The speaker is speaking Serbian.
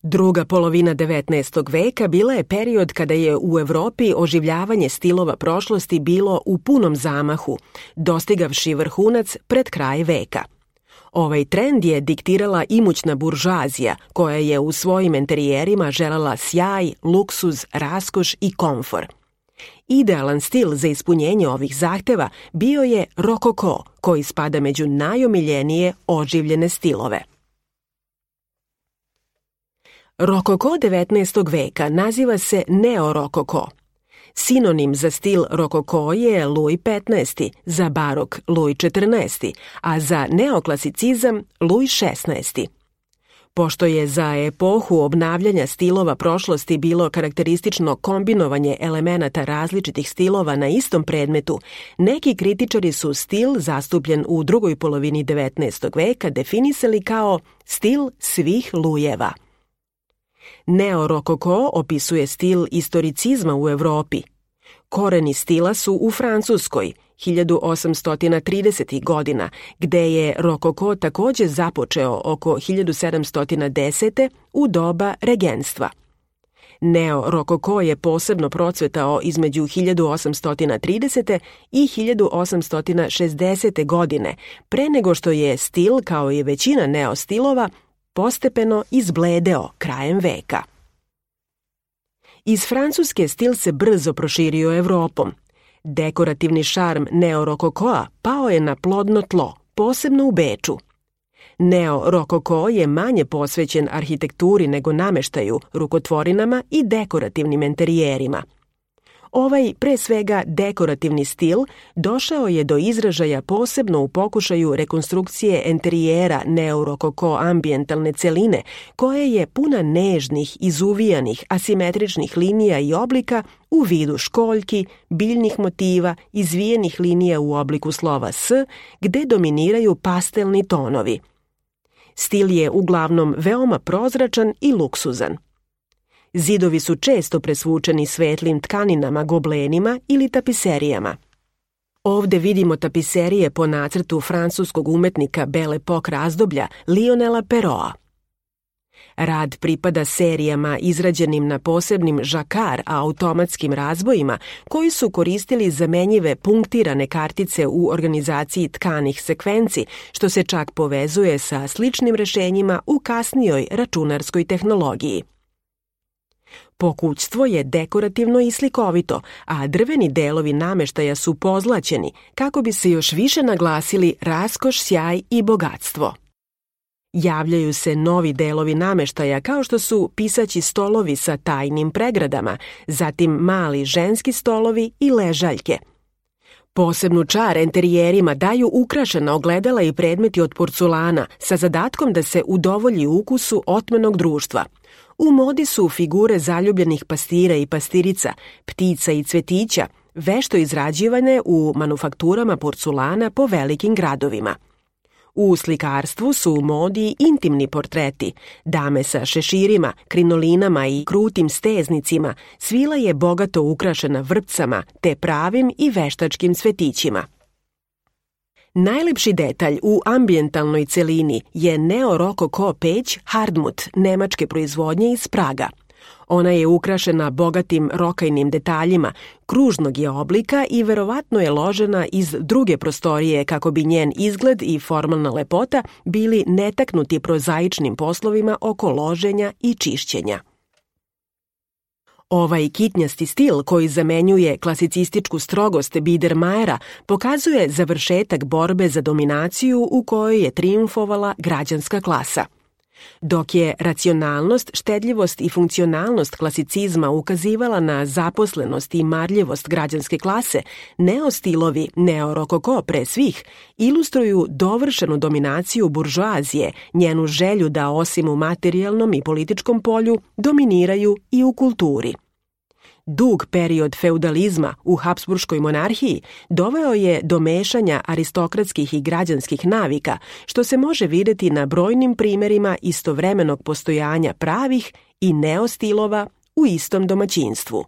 Druga polovina 19. veka bila je period kada je u Evropi oživljavanje stilova prošlosti bilo u punom zamahu, dostigavši vrhunac pred kraj veka. Ovaj trend je diktirala imućna buržoazija, koja je u svojim enterijerima želela sjaj, luksuz, raskoš i komfor. Idealan stil za ispunjenje ovih zahteva bio je rokoko, koji spada među najomiljenije oživljene stilove. Rokoko 19. veka naziva se neorokoko. Sinonim za stil rokoko je Luj XV, za barok Luj XIV, a za neoklasicizam Luj XVI. Pošto je za epohu obnavljanja stilova prošlosti bilo karakteristično kombinovanje elemenata različitih stilova na istom predmetu, neki kritičari su stil zastupljen u drugoj polovini 19. veka definisali kao stil svih lujeva. Neorokoko opisuje stil istoricizma u Evropi. Koreni stila su u Francuskoj, 1830. godina, gde je rokoko takođe započeo oko 1710. u doba regenstva. Neorokoko je posebno procvetao između 1830. i 1860. godine, pre nego što je stil, kao i većina neostilova, postepeno izbledeo krajem veka. Iz Francuske stil se brzo proširio Evropom. Dekorativni šarm neorokokoa pao je na plodno tlo, posebno u Beču. Neorokoko je manje posvećen arhitekturi nego nameštaju, rukotvorinama i dekorativnim enterijerima. Ovaj, pre svega, dekorativni stil došao je do izražaja posebno u pokušaju rekonstrukcije enterijera neorokoko ambijentalne celine, koja je puna nežnih, izuvijanih, asimetričnih linija i oblika u vidu školjki, biljnih motiva, izvijenih linija u obliku slova S, gde dominiraju pastelni tonovi. Stil je uglavnom veoma prozračan i luksuzan. Zidovi su često presvučeni svetlim tkaninama, goblenima ili tapiserijama. Ovde vidimo tapiserije po nacrtu francuskog umetnika Belle Époque razdoblja Lionela Perraulta. Rad pripada serijama izrađenim na posebnim žakar automatskim razbojima koji su koristili zamenjive punktirane kartice u organizaciji tkanih sekvenci, što se čak povezuje sa sličnim rešenjima u kasnijoj računarskoj tehnologiji. Pokućstvo je dekorativno i slikovito, a drveni delovi nameštaja su pozlaćeni kako bi se još više naglasili raskoš, sjaj i bogatstvo. Javljaju se novi delovi nameštaja kao što su pisaći stolovi sa tajnim pregradama, zatim mali ženski stolovi i ležaljke. Posebnu čar enterijerima daju ukrašena ogledala i predmeti od porculana sa zadatkom da se udovolji ukusu otmenog društva. U modi su figure zaljubljenih pastira i pastirica, ptica i cvetića, vešto izrađivane u manufakturama porculana po velikim gradovima. U slikarstvu su u modi intimni portreti, dame sa šeširima, krinolinama i krutim steznicima, svila je bogato ukrašena vrpcama te pravim i veštačkim cvetićima. Najlepši detalj u ambijentalnoj celini je neorokoko peć Hardmut, nemačke proizvodnje iz Praga. Ona je ukrašena bogatim rokajnim detaljima, kružnog je oblika i verovatno je ložena iz druge prostorije kako bi njen izgled i formalna lepota bili netaknuti prozaičnim poslovima oko loženja i čišćenja. Ovaj kitnjasti stil koji zamenjuje klasicističku strogost Biedermajera pokazuje završetak borbe za dominaciju u kojoj je trijumfovala građanska klasa. Dok je racionalnost, štedljivost i funkcionalnost klasicizma ukazivala na zaposlenost i marljivost građanske klase, neostilovi, neorokoko pre svih, ilustruju dovršenu dominaciju buržoazije, njenu želju da osim u materijalnom i političkom polju dominiraju i u kulturi. Dug period feudalizma u Habsburškoj monarhiji doveo je do mešanja aristokratskih i građanskih navika, što se može videti na brojnim primerima istovremenog postojanja pravih i neostilova u istom domaćinstvu.